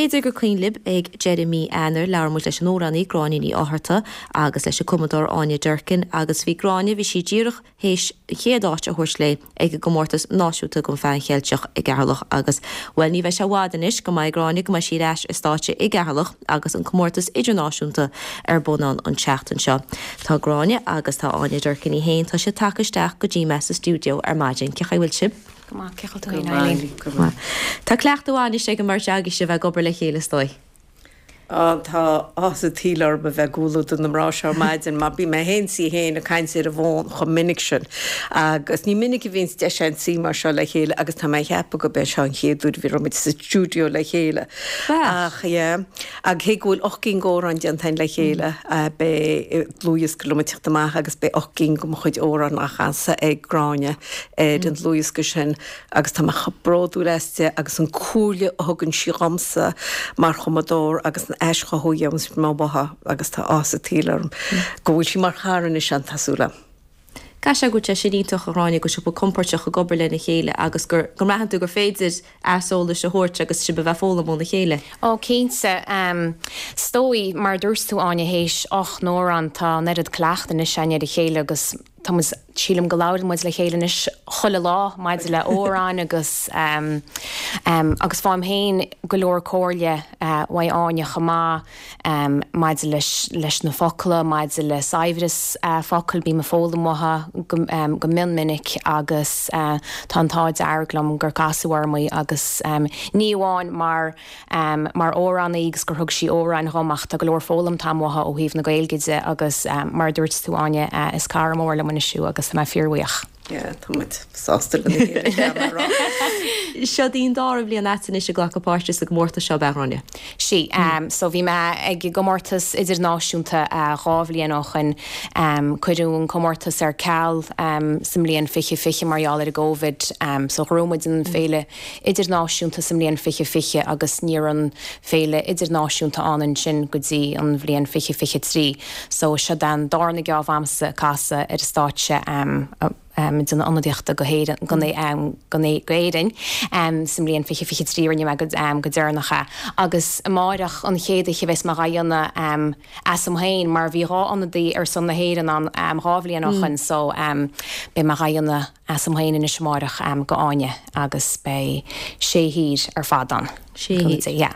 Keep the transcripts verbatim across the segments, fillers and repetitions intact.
B'fhéidir gur cuimhin libh ag deireadh mí Eanáir labhair muid leis an amhránaí Gráinne Ní Fhátharta agus leis an cumadóir Áine Durkin agus bhí Gráinne bhí sí díreach théis chéad áit a thabhairt léi ag an gcomórtas náisiúnta don Pheann Cheilteach i gCeatharlach agus well ní bheidh sé i bhfad anois go mbeidh Gráinne go mbeidh sí ar ais ar stáitse i gCeatharlach agus an comórtas idirnáisiúnta ar bun ann an tseachtain seo. Tá Gráinne agus tá Áine Durkin í féin tá sé tagtha isteach go dtí mé sa stiúideo ar maidin cén chaoi a bhfuil sibh. Tá cleachtadh anois ag an mbeirt agaibh sibh ag obair le chéile is dóigh. Tá áthas an tsaoil orm a bheith i gcomhluadar na mná seo ar maidin mar bíonn mé féin 's í féin ag caint ar an bhfón chomh minic sin agus ní minic a bhíonns deis againn suí mar seo le chéile agus tá mé ag ceapadh gurb é seo an chéad uair a bhí raibh muid sa stiúideo le chéile. Ach yeah ach cé go bhfuil ocht gcinn d'amhráin déanta againn le chéile beidh dlúthdhiosca liom ag teacht amach agus beidh ocht gcinn de mo chuid amhrán á chasadh ag Gráinne ar an dlúthdhiosca sin agus tá mé chomh bródúil aisti agus an comhairle a thugann sí dhomsa mar chumadóir agus an aischothú a dhéananns mé uaithi agus tá áthas an tsaoil orm go bhfuil sí mar chara anois agam tá súil agam. Caithfidh sé go bhfuil sé sin iontach a Ghráinne go sibh compordach ag obair lena chéile agus gur go mbraitheann tú gur féidir aiseolas a thabhairt agus sibh a bheith ag foghlaim óna chéile. Ó cinnte. Is dóigh mar a dúirt tú Áine théis ocht n-amhrán tá an oiread cleachtaidh anois againn ar a chéile agus tá muid sílim go labhrann muid le chéile anois chuile lá maidir le amhráin agus um, um, agus faighim féin go leor comhairle uh, uaidh Áine chomh maith um, maidir leis, leis na focla, maidir le saibhreas uh, focal bím ag foghlaim uaithi go, um, go mion minic agus uh, tá an t-ádh dearg liom gur casadh orm í agus um, ní amháin mar um, mar amhránaí agus gur thug sí amhráin dhom ach tá go leor foghlamtha agam uaithi ó thaobh na Gaeilge de agus um, mar dúirt tú Áine uh, is cara mór liom anois í agus tá mé fíorbhuíoch. Yeah, tá muid sásta lena chéile. Seo í an dara bliain agat anois ag glacadh páirte sa gcomórtas seo ab ea a Ghráinne. Sí, um, so bhí mé ag gcomórtas idirnáisiúnta uh, dhá bhliain ó shin um, cuireadh an comórtas ar ceal um, sa mbliain fiche fiche mar gheall ar an gCovid, um, so ghnóthaigh muid an féile idirnáisiúnta sa mbliain fiche fiche agus ní raibh an féile idirnáisiúnta ann ansin go dtí an bhliain fiche fiche trí, so seo an darna geábh a'msa casadh ar an stáitse um, um, den ionadaíochta go hÉirinn go um, go Éirinn um, sa mbliain fiche fiche trí rinne mé go, um, go deireanach é. agus amárach an chéad oíche a bheas mé á dhéanamh um, asam féin mar bhí dhá ionadaí ar son na hÉireann an um, dhá bhliain ó shin so um, beidh mé á dhéanamh asam féin anois amárach um, go Áine agus beidh sé thír ar fad ann. Sé thír. Yeah.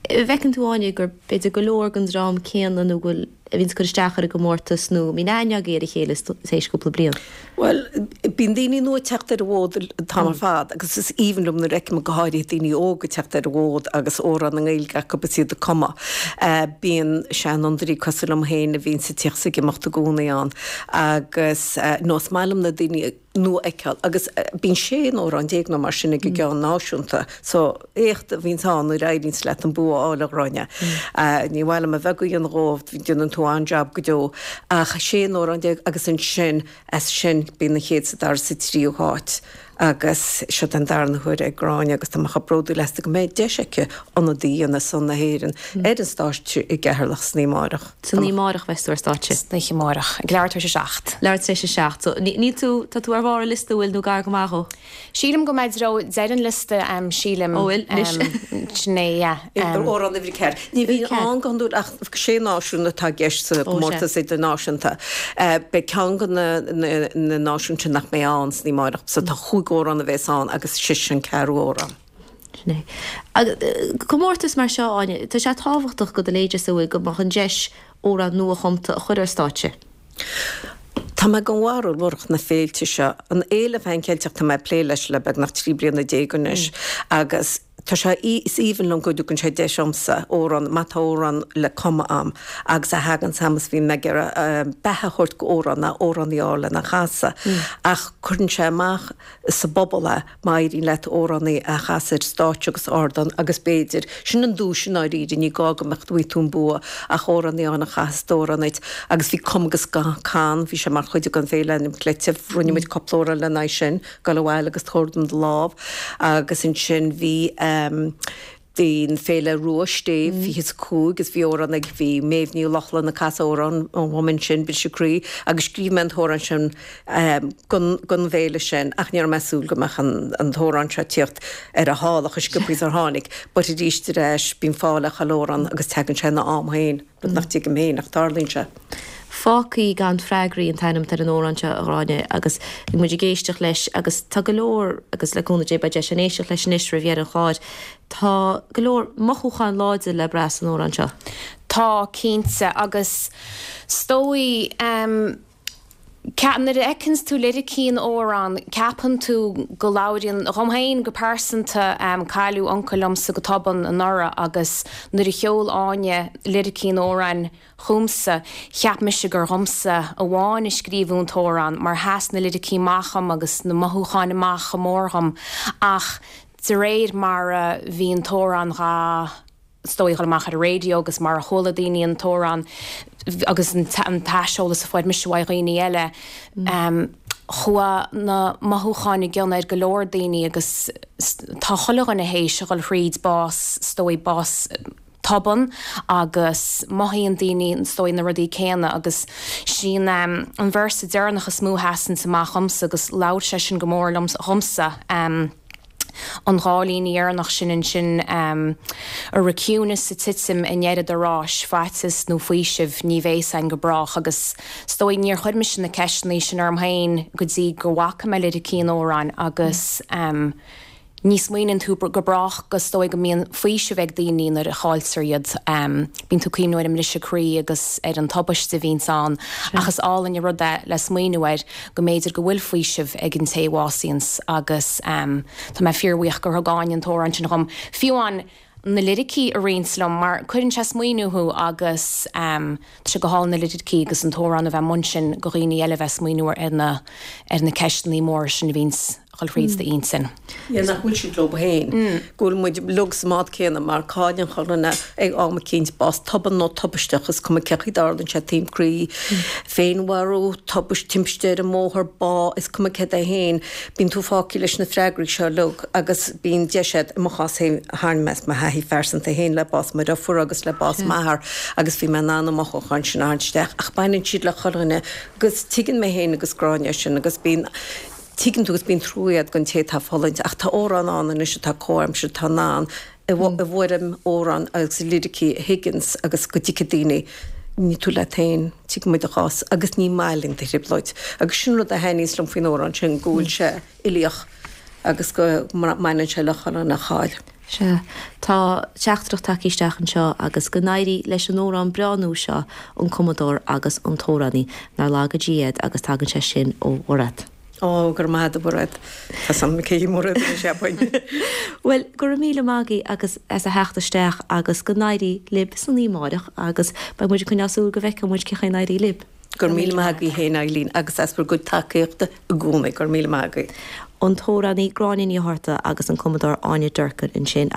Bhfeiceann tú Áine gur b'fhéidir go leor den dream céanna nó bhfuil a bhíonn cur isteach ar an gcomórtas nó mbíonn aithne agaibh ar a chéile théis cúpla bliain. Well, bíonn daoine nua ag teacht ar an bhfód an t-am ar fad, agus is aoibhinn liom nuair a fheicim go háirithe daoine óga ag teacht ar an bhfód agus amhrán i nGaeilge acu agus iad ag cumadh. Uh, bíonn seanfhondúirí cosúil liom féin a bhíonn ag teacht is ag imeacht i gcónaí ann agus uh, nó is maith liom na daoine nua a fheiceáil agus uh, bíonn sé amhrán déag nó mar sin ag an gceann náisiúnta, so éacht a bhíonn ann nuair a éiríonn leat an bua a fháil a Ghráinne. Uh, ní bhfuil a bheith go dhómh déanann tú an-jab go deo ach sé amhrán déag agus ansin as sin bíonn an chéad sa dara sa tríú háit agus seo den darna huair ag Gráinne agus tá mé chomh bródúil aisti go mbeidh deis aici ionadaí a dhéanamh ar son na hÉireann ar an stáitse i gCeatharlach san oíche amárach. San oíche amárach bheas tú ar stáitse. San oíche amárach. Ag leathuair tar éis a seacht. Leathuair tar éis a seacht, so níl tú tá tú ar bharr an liosta bhfuil nó gar go maith dhó. Sílim go mbeidh ró deireadh an liosta um, sílim Ó, bhfuil, anois. um, sin é, yeah, um, Amhrán uimhir a ceathair. Ní bhíonn ann go hiondúil ach sé náisiún atá i gceist sa gcomórtas idirnáisiúnta. Beidh ceann de na na náisiúin sin nach mbeidh ann san oíche amárach, so tá chúig amhrán a bheas ann agus sise an ceathrú amhrán. Sin é. Agus comórtas mar seo Áine, tá sé tábhachtach go do leithéid sa bhfuil go mbeadh an deis amhrán nuachumtha a chur ar stáitse. Tá mé den bharúil murach na féilte seo, an Fhéile Phan Cheilteach tá mé ag plé leis le beagnach trí bliana déag anois agus tá sé is aoibhinn liom go dtugann sé deis domsa amhrán má tá amhrán le cumadh agam agus a thagann sam is bhíonn mé ag iarraidh beatha a thabhairt go amhrán ná amhránaí a fháil lena chasadh ach cuireann sé amach sa bpobal é má éiríonn leat amhránaí a chasadh ar stáitse agus ardán agus b'fhéidir sin an duais i ndáiríre ní gá go mbeadh tú tú an bua ach amhránaí ann a chasas d'amhrán duit agus bhí Cum agus Can bhí sé mar chuid den Féile Ainm Cleite rinne muid cúpla amhrán lena aghaidh sin gabh abhaile agus tabhair dom do lámh agus ansin bhí um, Bhí an Féile Rua Stéibh fiche is a cúig is bhí amhrán ag bhí Méabh Ní Lochlainn ag casadh amhrán dhom ansin, Briseadh Croí, agus scríobh mé an t-amhrán sin don don bhféile sin ach ní raibh mé ag súil go mbeadh an an t-amhrán seo ag tíocht ar a shála chomh sciobtha is a tháinig. But arís ar ais bíonn fáth le chuile amhrán agus tagann sé ina am féin, rud nach dtuigim féin ach tarlaíonn sé. Fágtha gan freagraí an t-ainm atá ar an amhrán seo, a Ghráinne, agus bhí muid ag éisteacht leis agus tá go leor, agus le cúnamh Dé beidh deis againn éisteacht leis anois roimh dheireadh an chláir, tá go leor mothúcháin láidir le brath san amhrán seo. Tá, cinnte, agus 's dóigh, nuair a fheiceanns tú liricí an amhráin, ceapann tú go labhraíonn, dhom féin go pearsanta, cailleadh uncail liomsa go tobann anuraidh agus nuair a sheol Áine liricí an amhráin chugamsa, cheap mise gur dhomsa amháin a scríobhadh an t-amhrán mar sheas na liricí amach dhom agus na mothúcháin amach chomh mór dhom ach de réir mar a bhí an t-amhrán dhá is dóigh, dhul amach ar an raidió agus mar a chuala daoine an t-amhrán agus an t-aiseolas a fuair mise uaidh dhaoine eile, chuaigh na mothúcháin i gcion ar go leor daoine agus tá chuile dhuine théis a dhul thríd bás, is dóigh, bás tobann agus mothaíonn daoine, is dóigh, na rudaí céanna agus sin an véarsa deireanach is mó a sheasanns amach dhomsa agus labhair sé sin go mór liom, dhomsa. An dhá líne dheireanach sin ansin, Ar an ciúnas ag titim i ndeireadh do ráis, faitíos nó faoiseamh, ní bheidh ann go brách agus is dóigh níor chuir mise na ceisteanna sin orm féin go dtí go bhfaca mé liricí an amhráin agus ní smaoiníonn tú go brách go is dóigh go mbíonn faoiseamh ag daoine nuair a chailltear iad. Bíonn tú ag cuimhniú ar an mbriseadh croí agus ar an tubaiste a bhíonns ann ach is álainn an rud é le smaoineamh air go mb'fhéidir go bhfuil faoiseamh ag an té a bhásaíonns agus tá mé fíorbhuíoch gur thug Áine an t-amhrán sin dhom, fiú amháin na liricí a roinnt liom mar cuireann sé smaoineamh thú agus tá sé go hálainn na liricí agus an t-amhrán a bheith amuigh ansin go dhaoine eile a bheith smaoineamh ar na ar na ceisteanna móra sin a bhíonns ag dul thríd d'intinn. Yeah, nach bhfuil siad leo féin, go bhfuil muid uilig sa mbád céanna mar cailleann chuile dhuine ag am eicínt, bás tobann nó tubaisteach, is cuma cén chaoi a dtarlaíonn sé, taom croí, féinmharú, tubaist, timpiste ar an mbóthar, bá, is cuma céard é féin, bíonn tú fágtha leis na freagraí seo uilig agus bíonn deis agat, i mo chás féin, tharla mé mo thaithí phearsanta féin le bás mo dheirfiúr agus le bás m'athar agus bhí mé in ann na mothúcháin sin a tharraingt isteach ach baineann siad le chuile dhuine agus tuigeann mé féin agus Gráinne sin agus bíonn tuigeann tú agus bíonn trua agat don té atá ag fulaingt ach tá amhráin ann anois atá comhaimseartha atá in ann i bhfoirm amhrán agus liricí a thuigeanns agus go dtuigfidh daoine níl tú leat féin, tuigimid do chás agus ní maith linn do thrioblóid. Agus sin rud a thaitníos liom faoin amhrán sin, go bhfuil sé uilíoch agus go mbaineann sé le chuile dhuine a chaill. Sea, tá teachtaireacht tagtha isteach anseo agus go n-éirí leis an amhrán breá nua seo, an cumadóir agus an t-amhránaí, nár laga Dia iad agus tagann sé sin ó Mhairéad. Ó, go raibh maith agat, a Mhairéad. Tá san cé hí Mairéad anois, cheapfainn. Bhuel, go raibh míle maith agaibh agus as a theacht isteach agus go n-éirí libh san oíche amárach agus beidh muid ag coinneáil súil go bhfeicfidh muid cén chaoi a n-éireoidh libh. Go raibh míle maith agaibh féin, Eileen, agus as bhur gcuid tacaíochta i gcónaí. Go raibh míle maith agaibh. An t-amhránaí Gráinne Ní Fhátharta agus an cumadóir Áine Durkin ansin.